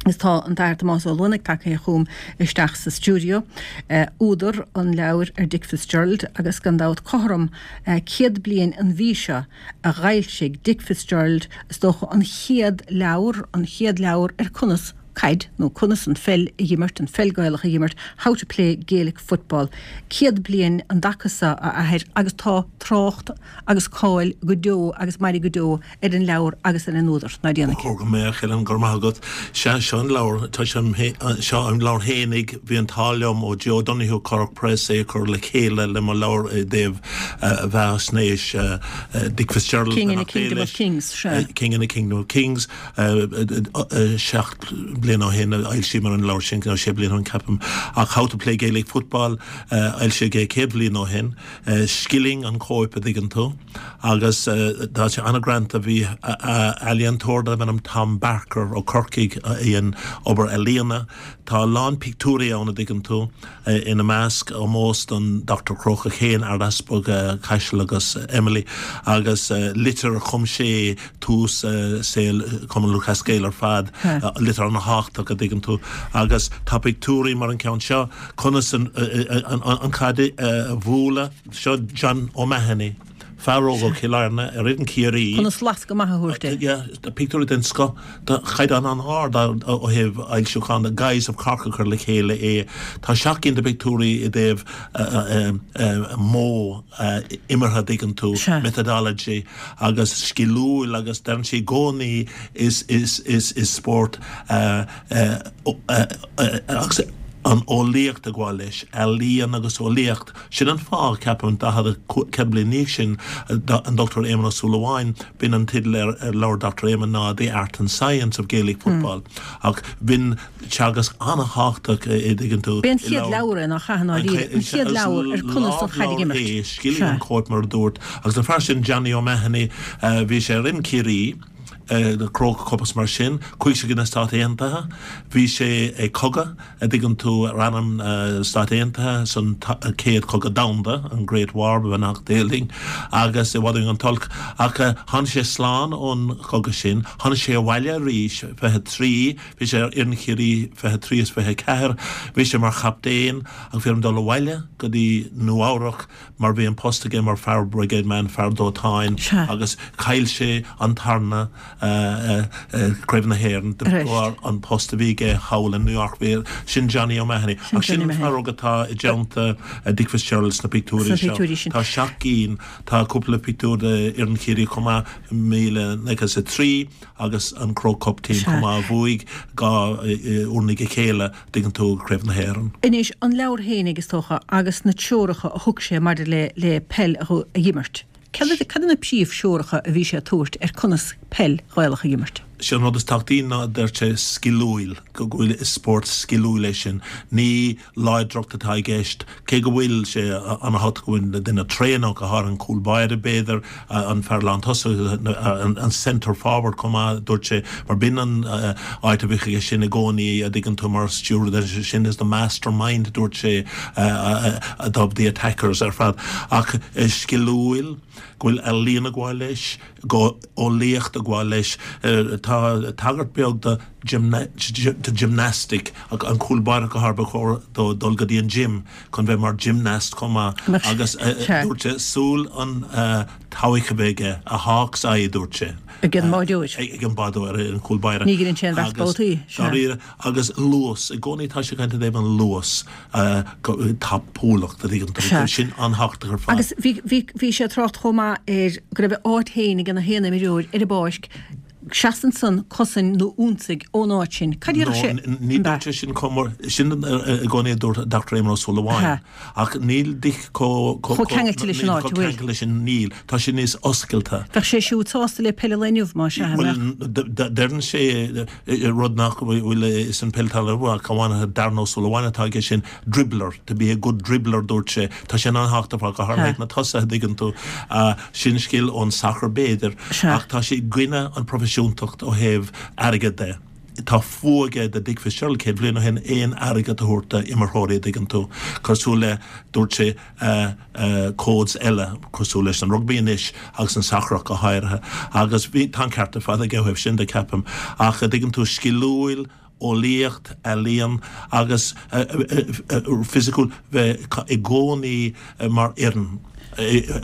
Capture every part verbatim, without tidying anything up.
Is tá an tAthair Tomás Ó Luanaigh tagtha chugam isteach sa stiúideo, údar an leabhair ar Dick Fitzgerald agus gan dabht cothrom céad bliain an mhí seo a dh'fhoilsigh Dick Fitzgerald is dócha an chéad leabhar, an chéad leabhar ar conas caid nó conas an pheil a dh'imirt, an pheil Gaelach a dh'imirt, How to Play Gaelic Football. Céad bliain an dtaca seo, a Athair, agus tá trácht agus cáil go deo agus mairfidh go deo ar an leabhar agus ar an údar. Ná déanaigh. Ba chóir go mbeadh, Helen, go raibh maith agat. Sea, seo an leabhar. Tá sé, seo an leabhar fhéinig. Bhí an t-ádh liom ó Joe O'Donoghue, Currach Press, é a chur le chéile le mo leabhar i dtaobh bheathaisnéis Dick Fitzgerald, King in a Kingdom of Kings, sea. King in a Kingdom of Kings. Seacht bliana ó shin a fhoilsíomar an leabhar sin, nó sé bliana ó shin, ceapaim. Ach How to Play Gaelic Football, foilsíodh é céad bhliain ó shin. Skilling an chóip, a dtuigeann tú, agus tá sé an-ghreanta. Bhí ealaíontóir darbh ainm Tom Barker ó Chorcaigh a dhein obair ealaíona. Tá a lán pictiúirí ann, a dtuigeann tú, ina measc ómós don Dochtúir Crócach féin, Ardeaspag Chaisil agus Emily, agus litir a chum sé tús saol Chumann Lúthchleas Gael ar fad, litir an-thábhachtach, a dtuigeann tú. Agus tá pictiúirí mar an ceann seo, conas an chaid a bhualadh, seo John O'Mahony, fear óg ó Chill Airne ar fhoireann Chiarraí. Conas lascadh maith a thabhairt di. Yeah, pictiúirí den scoth, de chaighdeán an-ard ó thaobh fhoilsiúchán, The Guys of Cork a chuir le chéile é. Tá seacht gcinn de phictiúirí i dtaobh modh imeartha, a dtuigeann tú, methodology, agus sciliúil agus deireann sé i gcónaí is is is is spórt agus an eolaíocht ag gabháil leis, ealaíon agus eolaíocht. Sin an fáth, ceapaim, daichead, céad bliain ina dhiaidh sin, an Dochtúir Éamonn Ó Súilleabháin, b'in an teideal ar ar leabhar Doctor Éamonn ná The Art and Science of Gaelic Football. Ach b'in teagasc an-thábhachtach, a dtuigeann tú, B'é an chéad leabhar é, nach ea, i ndáiríre, an chéad leabhar ar conas an chaid a dh'imirt. É, Skilling an chóip mar a dúirt. Agus an fear sin, Johnny O'Mahony, bhí sé ar fhoireann Chiarraí, Croke Cup is mar sin, chuaigh sé go na Stáit Aontaithe, bhí sé ag cogadh, a dtuigeann tú, ar ainm na Stát Aontaithe san Chéad Chogadh Domhanda, an Great War, ba bheannacht Dé linn, agus i bhfad uainn an t-olc. Ach tháinig sé slán ón chogadh sin, tháinig sé abhaile arís, fiche trí, bhí sé ar fhoireann Chiarraí fiche trí is fiche ceathair, bhí sé mar chaptaen, ach bhí orm dul abhaile go dtí Nua Eabhrac mar bhí an post aige mar fire brigade man, fear dóiteáin, agus chaill sé an tarna Craobh na hÉireann de bharr an post a bhí aige thall in New York. Bhí, sin Johnny O'Mahony. Ach sin an fear óg atá i dteannta Dick Fitzgerald sna pictiúirí seo. Tá seacht gcinn, tá cúpla pictiúr de fhoireann Chiarraí chomh maith, míle naoi gcéad is a trí agus an Croke Cup team chomh maith a bhuaigh dhá uair i ndiaidh a chéile. dtuigeann tú, Craobh na hÉireann. Anois, an leabhar fhéinig, is dócha, agus na treoracha a thug sé maidir le le peil a dh'imirt. Cad cad iad na príomhthreoracha a bhí sé ag tabhairt ar conas peil Ghaelach a dh'imirt? Sé an rud is tábhachtaí ná, deir sé, sciliúil, go bhfuil, is spórt sciliúil é sin. Ní láidreacht atá i gceist, cé go bhfuil sé an-thábhachtach go bhfuil duine tréan ann, go háirithe an cúl báire, b'fhéidir, an fear lántosaigh, an centre forward chomh maith, dúirt sé, mar b'in an áit a bhíodh aige sin i gcónaí, a dtuigeann tú, mar stiúradh, sin is the mastermind, dúirt sé, of the attackers ar fad. Ach sciliúil, go bhfuil ealaíon ag gabháil leis, go eolaíocht ag gabháil leis. Tá tagairt beag do gymnastic, an cúl báire go háirithe, ba chóir dó dul go dtí an gym chun bheith mar gymnast chomh maith agus dúirt sé súil an tseabhaic a bheith aige, a hawk's eye, dúirt sé. Ag an mbádóir. Ag an mbádóir, an cúl báire. Ní ghearrann sé an bheart babhtaí. Dáiríre. Agus luas, i gcónaí tá sé ag caint i dtaobh an luas, tapúlacht, a dtuigeann tú, sin an-thábhachtach ar fad. Agus bhí, bhí, bhí sé ag trácht chomh maith ar go raibh a áit féin ag gach aon imreoir ar an bpáirc, seas ansan, cosain nó ionsaigh ón áit sin. Cad a déarfadh sé? No, ní dúirt sé sin chomh mór, sin i gcónaí a dúirt Doctor Éamon Ó Súilleabháin. Ach níl Dick chomh, chomh ceangailte leis an áit, an bhfuil? Chomh ceangailte leis sin, níl. Tá sé níos oscailte. Bheadh sé siúd sásta le peil an lae inniu, más ea, an mbeadh? Bhuel, deireann sé rud nach bhfuil is an peil talaimh ach amháin Darren Ó Súilleabháin atá aige sin, dribbler, to be a good dribbler, dúirt sé. Tá sé an-thábhachtach go háirithe ag na tosaithe, an dtuigeann tú. Sin scil ón sacar b'fhéidir, ach tá sé i gcoinne an proifisiúntacht ó thaobh airgead de. Tá fuath aige do Dick Fitzgerald céad bliain ó shin aon airgead a thabhairt do imreoirí, an dtuigeann tú. Cosúil le, dúirt sé, codes eile, cosúil leis an rugbaí anois agus an sacar ach go háirithe. Agus bhí, tá an ceart ar fad aige ó thaobh sin de, ceapaim. Ach, an dtuigeann tú, sciliúil, eolaíocht, ealaíon agus fisiciúil bheith i gcónaí mar fhoireann,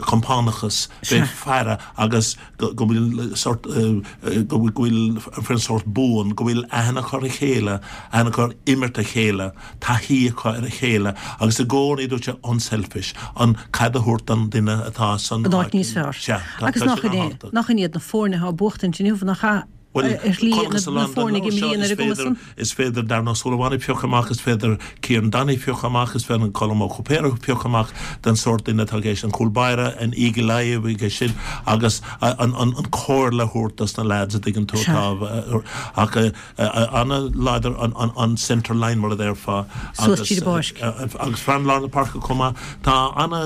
compánachas, bheith ag faire agus go bhfuil sórt, go bhfuil an foireann sórt buan, go bhfuil aithne acu ar a chéile, aithne acu ar imirt a chéile, taithí acu ar a chéile agus i gcónaí dúirt sé unselfish, an caid a thabhairt don duine atá san áit níos fearr. Sea, tá Agus sin nach in é, an-tábhachtach. nach in iad na foirne atá ag buachtaint inniu, nach ea? Bhuel, Ar shlí chonacthas a na lán den foirne ag leabhar seo, imríonn ar is a gcumas féidir, san. is féidir Darren Ó Súilleabháin a phiocadh amach, is féidir Kieran Donaghy a phiocadh amach, is féidir Colm Ó Cúipéir a phiocadh amach den sórt duine atá i gceist, an cúl báire, an Eagle Eye a bhí aige sin agus an, an, an comhairle a thabhairt dos na lads a dtuigeann tú Sea. atá, ach an-láidir an, an, an centre line mar a déarfá Suas agus tríd an bpáirc. agus fear lár na páirce chomh maith. Tá ana,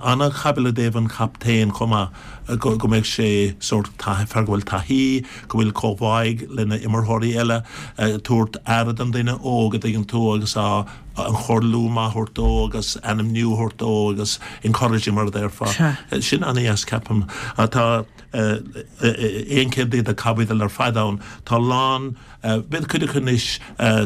ana-chaibidil i dtaobh an chaptaein chomh maith go, go mbeadh sé sórt taithí, fear go bhfuil taithí, go bhfuil comhbháigh lena imreoirí eile, tabhairt aire don duine óg a dtuigeann tú agus á an chomhairliú maith a thabhairt dó agus ainmniú a thabhairt dó agus encouraging mar a déarfá. Sea. Sin an-dheas ceapaim. Tá aon chéad déag de chaibidil ar fad ann. Tá lán, b'fhéidir cuid acu anois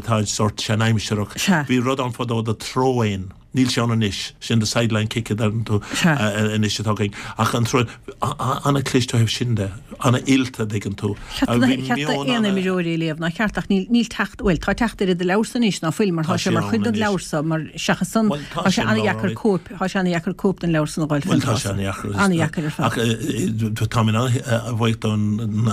tá sórt seanaimsearach. Sea. Bhí rud ann fadó the throw-in. Níl sé ann anois, sin the sideline kick a deireann tú Sea. anois atá againn. Ach an throw-in, an-chliste ó thaobh sin de, an-oilte a dtuigeann tú. Cheart Bhí cheart meon aon ana- imreoirí a léamh, ná ceart ach níl níl teacht, bhuel tá teacht ar do leabhar anois ná fuil mar Tá tá sé sé mar ann chuid den anois. leabhar so mar seachas san Bhuel, tá tá sé sé an-dheacair an-leabhar cóip, tá sé an-dheacair cóip den leabhar san a fháil Bhuel tá sé an-dheacair. An-dheacair ar fad. Ach tá mé an-bhuíoch don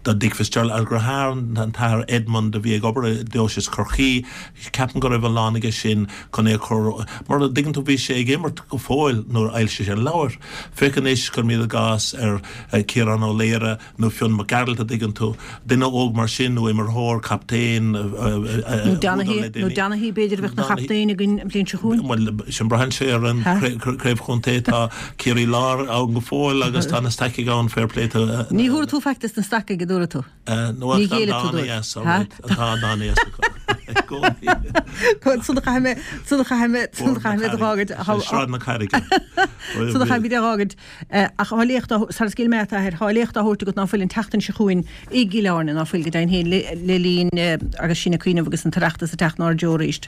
do Dick Fitzgerald a dheartháir an t-athair Edmund a bhí ag obair i Deoise Chorcaí, ceapaim go raibh a lán aige sin chun é a chur mar a dtuigeann tú bhí sé ag imirt go fóill nuair a fhoilsigh sé an leabhar. Féach anois cuirimid i gcás ar Ciarán Ó Laoire nó Fionn Mac Gearailt a dtuigeann tú, duine óg mar sin nó imreoir, captaen, Nó Donaghy, nó Donaghy b'fhéidir a bheadh na chaptaen againn an bhliain seo chugainn. Bhuel sin braitheann sé ar an Ha? craobh chontae tá Ciarraí Láir ann go fóill agus tá na Stacaigh ann fair play to Ní thuair tú faic des na Stacaigh a dúirt tú. nó Ní ghéillfidh tú dóibh. yes, Ha? tá dána Sula chaithfidh mé sula chaithfidh mé sula chaithfidh mé do fhágaint Sráid na Carraige. Sula chaithfidh mé do fhágaint ach tá léacht sar scéal mé athair tá léacht á thabhairt agat ná fuil an tseachtain seo chugainn i gCill Airne ná fuil go deimhin féin le le linn agus sinn ag cuimhneamh agus an tOireachtas ag teacht inár dtreo arís.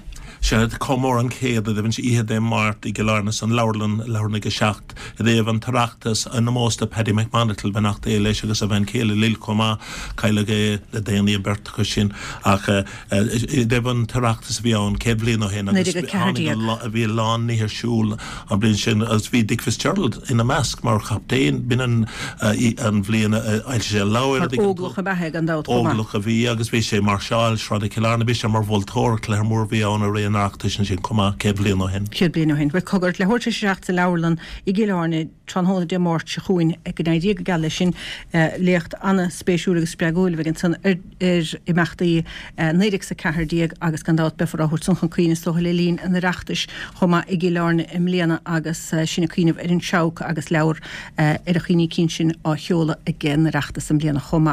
Sé comóradh an chéad a bhíonn sé oíche Dé Máirt i gCill Airne san leabharlann leathuair ag a seacht i dtaobh an tOireachtas in ómós do Paddy McMonagle beannacht Dé leis agus a bhean chéile Lil chomh maith cailleadh é le déanaí an bheirt acu sin ach i dtaobh an tOireachtas a bhí ann céad bliain ó shin agus Naoi déag a ceathair tháinig déag. a bhí lán nithe ar siúl an bhliain sin agus bhí Dick Fitzgerald ina measc mar chaptaen b'in an an bhliain a fhoilsigh sé a leabhar Mar óglach a bheatha gan dabht chomh maith. Óglach a bhí agus bhí sé máirseáil Sráid Chill Airne bhí sé mar mholtóir cluiche mór bhí ann i ré an Oireachtais sin chomh maith céad bliain ó shin. Céad bliain ó shin. Bhuel cogar leathuair tar éis a seacht sa leabharlann i gCill Airne tráthnóna Dé Máirt seo chugainn go n-éirí go geal leis sin léacht an-spéisiúil agus spreagúil a bheidh ansan ar ar imeachtaí naoi déag a ceathair déag agus gan dabht beifear á thabhairt san chun cuimhne is dócha le linn an Oireachtais chomh maith i gCill Airne i mbliana agus sinn ag cuimhneamh ar an Seabhac agus leabhar ar a chuimhní cinn sin á sheoladh ag an Oireachtas i mbliana chomh maith.